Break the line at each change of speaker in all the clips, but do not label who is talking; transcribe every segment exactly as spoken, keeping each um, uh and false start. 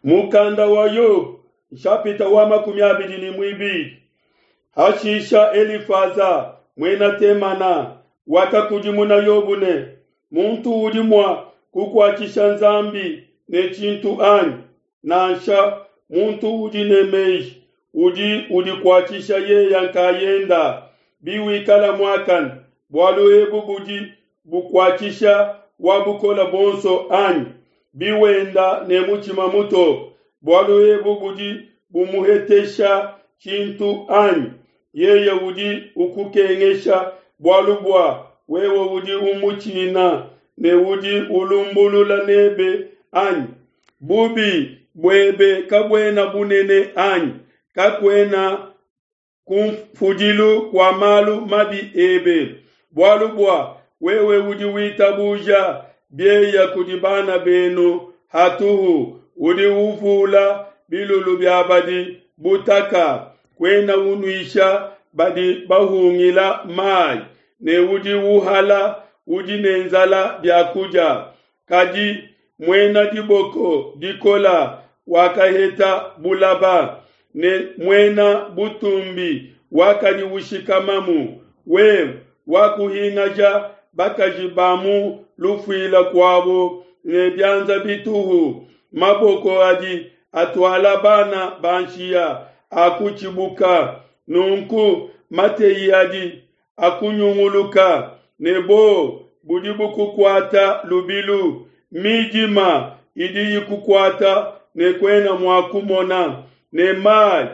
Mukanda wa Yobo, nshapita wa makumi abidi ne muibidi. Hashisha Elifaza muena Temana wakakudimuna Yobo ne, muntu udi mua kukuatshisha Nzambi ne tshintu anyi? Nansha muntu udi ne meji udi udikuatshisha yeya nkayenda. Biwikala muakane, bualu ebu budi bukuatshisha wa bukole buonso anyi? Biwenda ne mutshima mutoke, bualu ebu budi bumuhetesha tshintu anyi? Yeye udi ukukengesha bualu bua wewe udi umutshina ne udi ulumbulula nebe anyi? Bubi buebe kabuena bunene anyi? Kakuena kunfudilu kua malu mabi ebe, bualu bua wewe udi witabuja bieya kudi bana benu hatuhu, udi uvula bilulu bia badi butaka, kuena unuisha badi bahungila mai, ne udi uhala udi ne nzala bia kudia. Kadi muena diboko dikola wakaheta bulaba, ne muena butumbi wakadi ushikamamu. Wewe wakuhingaja bakaji ba mu lufuila kuabo ne bianza bituhu, maboko adi atuala bana ba nshiya akutshibuka. Nunku mateyi adi akunyunguluka, ne bo budi bukukuata lubilu. Midima idi ikukuata ne kuena mua kumona, ne mai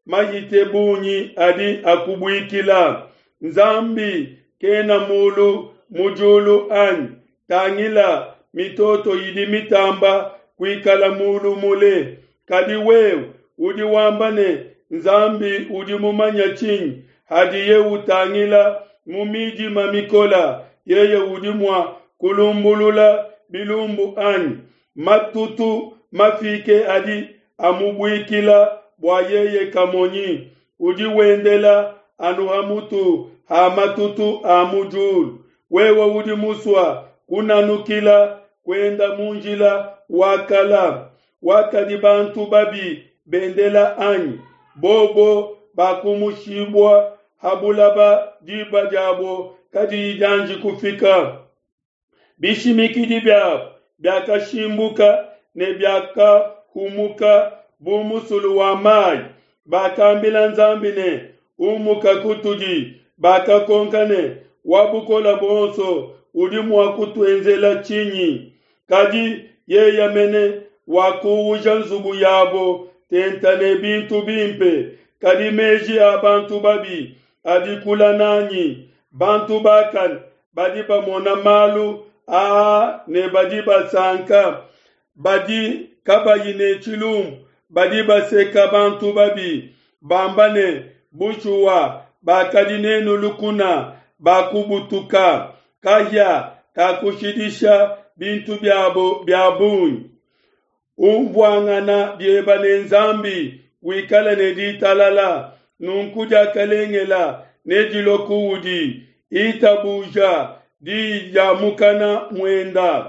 mahite bungi adi akubuikila. Nzambi kena mulu mu diulu anyi? Tangila mitoto idi mitamba kuikala mulu mule. Kadi wewe udi wamba ne, Nzambi udi mumanye tshinyi? Hadiye utangila mu midima mikola, yeye udi mua kulumbulula bilumbu anyi? Matutu mafike adi amubuikila bua yeye kamonyi. Udi wendela anu ha mutu ha matutu a mu diulu. Wewe udi musua kunanukila kuenda mu njila wa kala, wakadi bantu babi bendela anyi? Bobo bakumushibua ha bulaba diba diabo kadiyi dianji kufika. Bishimikidi biabo biakashimbuka ne biakahumuka bu musulu wa mai. Bakambila Nzambi ne, Umuka kutudi. Bakakonka ne, Wa bukole buonso udi mua kutuenzela tshinyi? Kadi yeye mene wakuuja nzubu yabo tenta ne bintu bimpe. Kadi meji a bantu babi adi kula nanyi. Bantu bakane badi bamona malu aa ne badi basanka. Badi kabayi ne tshilumbu badi baseka bantu babi, bamba ne, bushuwa bakadi nenu lukuna bakubutuka. Kahia kakushidisha bintu biabo bia bungi. Umvuangana bieba ne Nzambi, wikale ne ditalala, nunku diakalengela nedilue kuudi. Itabuja diyi dia mukana muenda,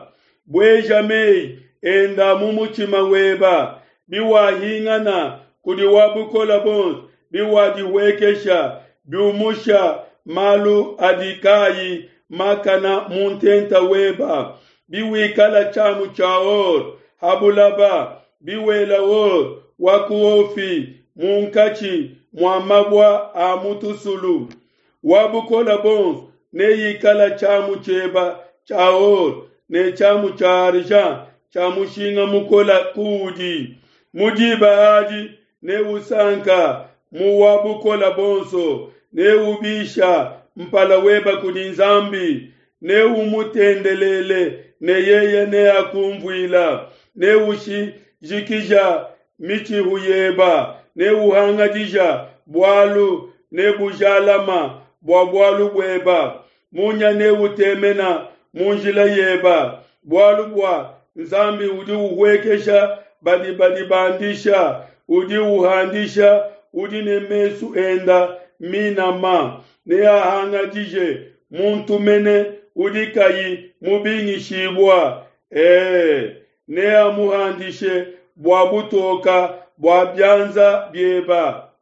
bueja meyi enda mu mutshima weba. Biwahingana kudi wa bukole buonso, biwadihuekesha, biumusha malu adi kayi makana mu ntenta weba. Biwikala tshiamu tshia or ha bulaba, biwela or wa ku Ofi munkatshi mua mabua a mu tusulu. Wa bukole buonso neikala tshiamu tshieba tshia or ne tshiamu tshia argent tshia mushinga mukola kuudi. Mu diba adi neusanka mu wa bukole buonso, neubisha mpala weba kudi Nzambi, neumutendelele ne yeye neakumvuila. Neushijikija mitshihu yeba, neuhangadija bualu nebujalama bua bualu bueba. Munya neutemena mu njila yeba, bualu bua Nzambi udi uhuekesha badi badibandisha, udi uhandisha udi ne mesu enda minama. Neahangadije muntu mene udi kayi mubingishibua, e, neamuhandishe bua butoka bua bianza bieba.